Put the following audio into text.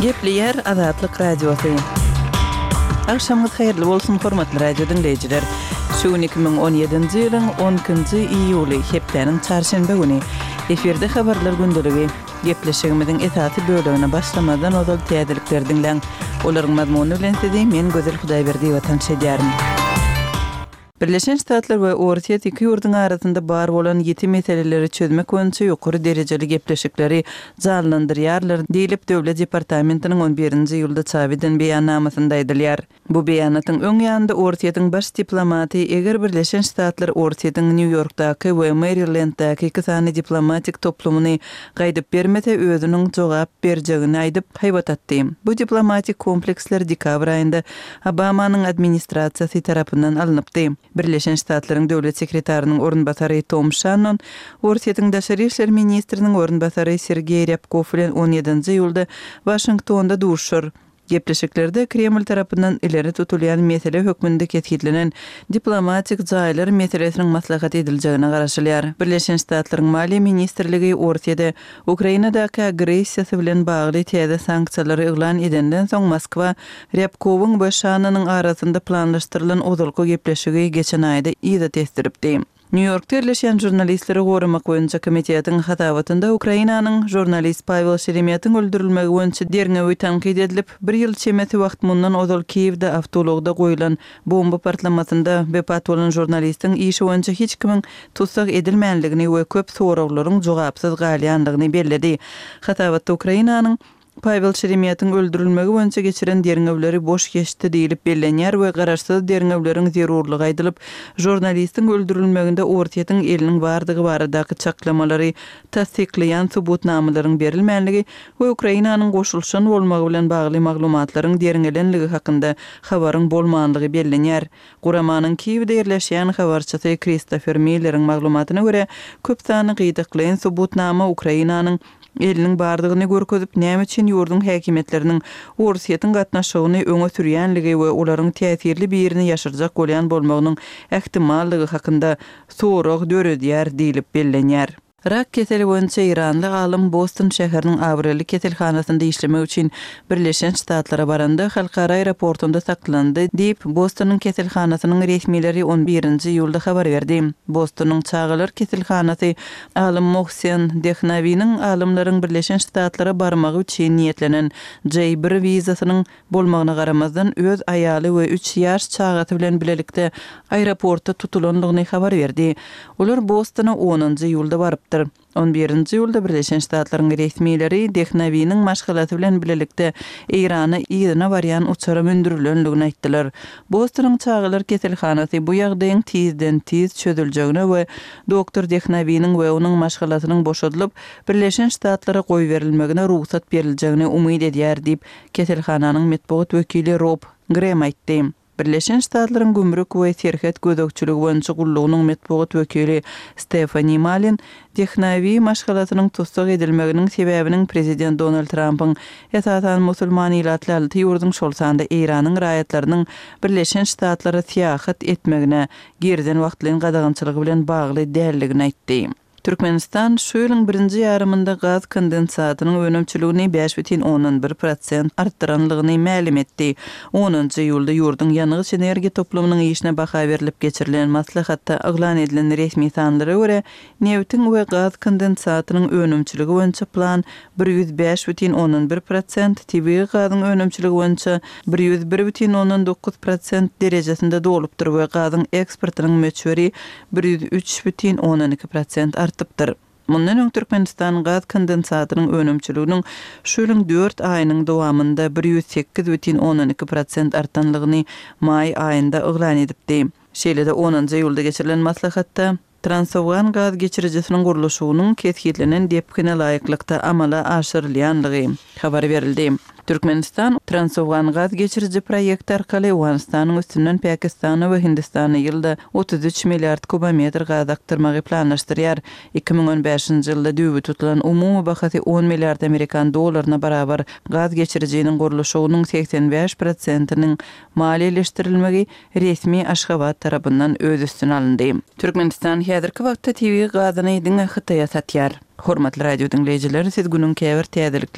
Gepleýär Azatlyk Radiosy. Agşamyňyz haýyrly bolsun, hormatly radio diňleýjiler. Şu gün 2017-nji ýylyň 12-nji iýuly, hepdäniň çarşenbe güni. Efirde habarlar gündeligi. Gepleşigimiziň esasy bölegine başlamazdan ozal täzelikleri diňläň. Olaryň mazmuny bilen sizi men Gözel Hudaýberdiýewa tanyş edýärin. Birleşen Ştatlar we Orsýet iki ýurduň arasynda bar bolan ýiti meseleleri çözmek boýunça ýokary derejeli gepleşikleri janlandyrýarlar diýlip, Döwlet departamentiniň on birinji iýulda çap eden beýannamasynda aýdylýar. Bu beýanatyň öň ýanynda Orsýetiň baş diplomaty eger Birleşen Ştatlar Orsýetiň Nýu-Ýorkdaky we Merilendäki iki sany diplomatik toplumyny gaýdyp bermese, özüniň jogap berjegini aýdyp, haýbat atdy. Bu diplomatik kompleksler dekabr aýynda Obamanyň administrasiýasy tarapyndan alnypdy. Birleşen Ştatlaryň döwlet sekretarynyň orunbasary Tom Şannon Orsýetiň daşary işler ministriniň orunbasary Sergeý Rýabkow bilen on ýedinji iýulda Waşingtonda duşuşar. Gepleşiklerde Kreml tarapyndan ileri tutulýan mesele hökmünde kesgitlenen diplomatik jaýlar meselesiniň maslahat ediljegine garaşylýar. Birleşen Ştatlaryň Maliýe ministrligi Orsýede Ukrainadaky agressiýasy bilen bagly täze sanksiýalary yglan edenden soň Moskwa Rýabkowyň we Şannonyň arasynda planlaşdyrylan ozalky gepleşigi geçen aýda yza tesdiripdi. Nýu-Ýorkda ýerleşýän Žurnalistleri goramak boýunça komitetiň hasabatynda Ukrainanyň žurnalist Pawel Şeremetiň öldürilmegi boýunça derňewi tankyt edilip, bir ýyl çemesi wagt mundan ozal Kiýewde awtoulagda goýlan Bomba partlamasynda wepat bolan žurnalistiň işi boýunça hiç kimiň tussag edilmänligini we köp soraglaryň jogapsyz galýandygyny belledi. Hasabatda Ukrainanyň Pawel Şeremetiň öldürilmegi boýunça geçiren derňewleri boş geçdi diýlip bellenýär we garaşsyz derňewleriň zerurlygy aýdylyp, žurnalistiň öldürilmeginde Orsýetiň eliniň bardygy baradaky çaklamalary tassyklaýan subutnamalaryň berilmänligi we Ukrainanyň goşulyşan bolmagy bilen bagly maglumatlaryň derňelenligi hakynda habaryň bolmanlygy bellenýär. Guramanyň Kiýewde ýerleşýän habarçysy Kristofer Milleriň maglumatyna görä, köp sanly gytaklaýyn subutnama Ukrainanyň eliniň bardygyny görkezip, näme üçin ýurduň häkimiýetleriniň Orsýetiň gatnaşygyny öňe sürýänligi we olaryň täsirli birini ýaşyrjak bolýan bolmagynyň ähtimallygy hakynda sorag döredýär diýlip bellenýär. Rak keseli boýunça eýranly alym Boston şäheriniň abraýly keselhanasynda işlemek üçin Birleşen Ştatlara baranda, halkara aeroportunda saklandy, diýip, Bostonyň keselhanasynyň resmileri on birinji iýulda habar berdi. Bostonyň çagalar keselhanasy alym Mohsen Dehnawiniň alymlaryň Birleşen Ştatlara barmagy üçin niýetlenen J bir wizasynyň bolmagyna garamazdan, öz aýaly we üç ýaş çagasy bilen bilelikde aeroportda tutulandygyny habar berdi. Olar Bostona onunjy iýulda barypdyr. On birinji iýulda Birleşen Ştatlaryň resmileri Dehnawiniň maşgalasy bilen bilelikde Eýrana yzyna barýan uçara mündürilendigini aýtdylar. Bostonyň çagalar keselhanasy bu ýagdaýyň tizden-tiz çözüljegine we doktor Dehnawiniň we onuň maşgalasynyň boşadylyp, Birleşen Ştatlara goýberilmegine rugsat beriljegine umyt edýär diýip, Keselhananyň metbugat wekili Rob Grem aýtdy. Birleşen Ştatlaryň Gümrük we serhet gözegçiligi boýunça gullugynyň metbugat wekili Stefani Malin Dehnawi maşgalasynyň tussag edilmeginiň sebäbiniň prezident Donald Trampyň esasan musulman ilatly alty ýurduň, şol sanda Eýranyň raýatlarynyň Birleşen Ştatlara syýahat etmegine girizen wagtlaýyn gadagançylygy bilen bagly däldigini aýtdy. Türkmenistan şu ýylyň birinji ýarymynda gaz kondensatynyň önümçiligini 5,1 prosent artdyranlygyny mälim etdi. Onunjy iýulda ýurduň ýangyç-energiýa toplumynyň işine baha berlip geçirilen maslahatda yglan edilen resmi sanlara görä, nebitiň we gaz kondensatynyň önümçiligi boýunça plan 105,1 prosent, tebigy gazyň önümçiligi boýunça 101,9 prosent derejesinde dolupdyr we gazyň eksportynyň möçberi 103,2 prosent artypdyr. Mundan öň Türkmenistan gaz kondensatynyň önümçiliginiň şu ýylyň dört aýynyň dowamynda 108,2 prosent artanlygyny maý aýynda yglan edipdi. Şeýle-de onunjy iýulda geçirilen maslahatda Transowgan gaz geçirijisiniň gurluşygynyň kesgitlenen depgine laýyklykda amala aşyrylýanlygy habar berildi. Türkmenistan Transowgan gaz geçiriji proýekti arkaly Owganystanyň üstünden Pakistana we Hindistana ýylda 33 milliard kubometr gaz akdyrmagy planlaşdyrýar. 2015-nji ýylda düýbi tutulan umumy bahasy on milliard amerikan dollaryna barabar gaz geçirijiniň gurluşygynyň 85 prosentiniň maliýeleşdirilmegi resmi Aşgabat tarapyndan öz üstüne alyndy. Türkmenistan häzirki wagtda tebigy gazyny diňe Hytaýa satýar. Hormatly radio diňleýjiler, siz günüň käbir täzeliklerini.